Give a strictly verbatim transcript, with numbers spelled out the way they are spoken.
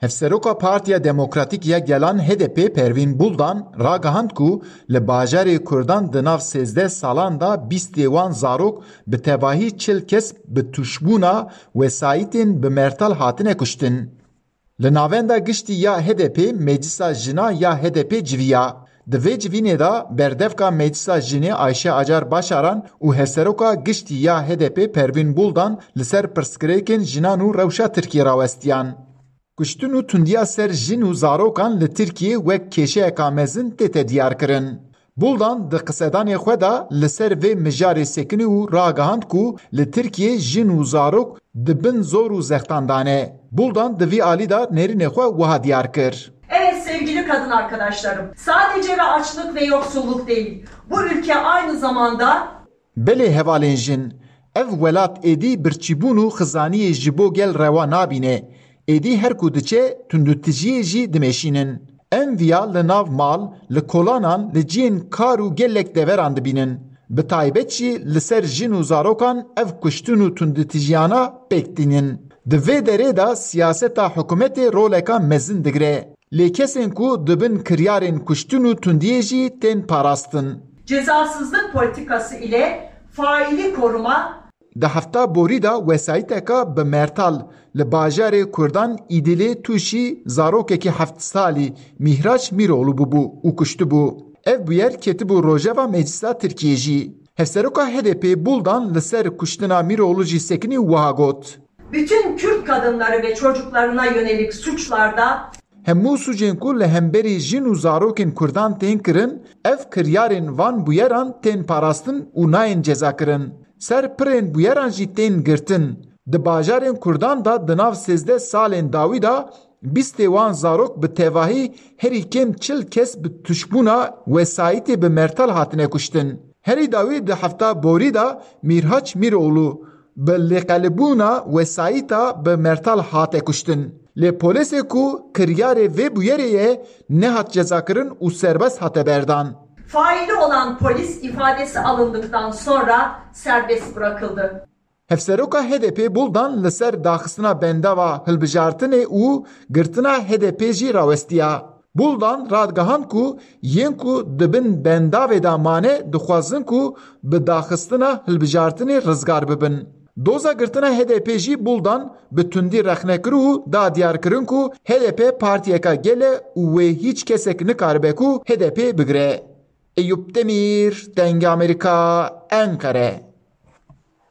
Hevseroka Partiya Demokratîk ya Gelan H D P Pervîn Buldan ragihand ku li bajarê Kurdan di nav sêzdeh salan de bîstê wan zarok bi tevahî çil kes bi tûşbûna wesayîtên bi mertal hatine kuştin. Li navenda giştî ya H D P Meclisa Jina ya H D P civiya. Di vê civînê de berdevka Meclisa Jinê Ayşe Acar Başaran û Hevseroka Giştî ya H D P Pervîn Buldan li ser pirsgirêkên jinan û rewşa Tirkiyê rawestiyan. Kuştin û tundiya ser jin û zarokan li Tirkiyê wek kêşeyeka mezin tête diyarkirin. Buldan di qisedanê xwe de li ser vê mijarê sekinî û ragihand ku li Tirkiyê jin û zarok di bin zor û zextan de ne. Buldan di vî alî de nêrînê xwe wiha diyar kir. Evet sevgili kadın arkadaşlarım, sadece ve açlık ve yoksulluk değil, bu ülke aynı zamanda Belê hevalên jin, ev welat êdî birçîbûn û xizaniyê ji bo gel rewa nabîne. Êdî her ku diçe tundûtijiyê jî dimeşînin. Em viya li nav mal, li kolanan, li cihên kar û gelek deveran dibînin. Bi taybet jî li ser jin û zarokan ev kuştin û tundûtijiyana pêk tînin. Di vê derê de siyaseta hikûmetê roleka mezin digire. Lê kesên ku di bin kiryarên kuştin û tundiyê jî tên parastin. Cezasızlık politikası ile faili koruma Di hefta borî de wesayîteka bi mertal li bajarê Kurdan Îdilê tûşî zarokekî heft salî Mîhraç Mîroğlu bûbû û kuştibû. Ev bûyer ketibû rojeva Meclisa Tirkiyê jî. Hevseroka H D P Buldan li ser kuştina Mîroğlu jî sekinî wiha got. Bütün Kürt kadınları ve çocuklarına yönelik suçlarda Hemû sûcên ku li hemberî jin û zarokên Kurdan tên kirin, ev kiryarên van bûyeran tên parastin û nayên cezakirin. Ser pirên bûyeran jî tên girtin. Di bajarên Kurdan de di nav sêzdeh salên dawî de bîstê wan zarok bi tevahî herî kêm çil kes bi tuşbûna wesayîtê bi mertal hatine kuştin. Herî dawî di hefta borî de Mîrhaç Mîroğlu bi lêqelibûna wesayîta bi mertal hate kuştin. Lê polêsê ku kiryarê vê bûyerê ye nehat cezakirin û serbest hate berdan. Faili olan polis ifadesi alındıktan sonra serbest bırakıldı. Hevseroka H D P Buldan li ser daxistina bendava hilbijartinê û girtina H D P jî rawestiya. Buldan radigihand ku yên ku di bin bendavê de mane dixwazin ku bi daxistina hilbijartinê rizgar bibin. Doza girtina H D P jî Buldan bi tundî rexne kir û da diyarkirin ku H D P partiyeka gel e û wê hîç kesek nikaribe ku H D P bigire. Eyûp Demîr, Dengê Amerîka, Enqere.